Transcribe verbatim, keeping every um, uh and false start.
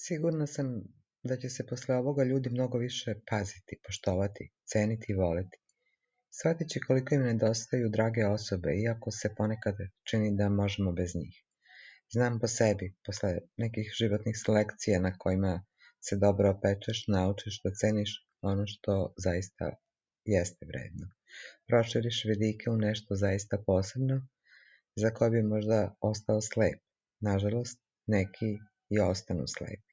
Sigurna sam da će se posle ovoga ljudi mnogo više paziti, poštovati, ceniti i voleti. Shvatit će koliko im nedostaju drage osobe, iako se ponekad čini da možemo bez njih. Znam po sebi, posle nekih životnih selekcija na kojima se dobro opečeš, naučiš da ceniš ono što zaista jeste vredno. Proširiš vidike u nešto zaista posebno, za koje bi možda ostao slep. Nažalost, neki i ostanu slepi.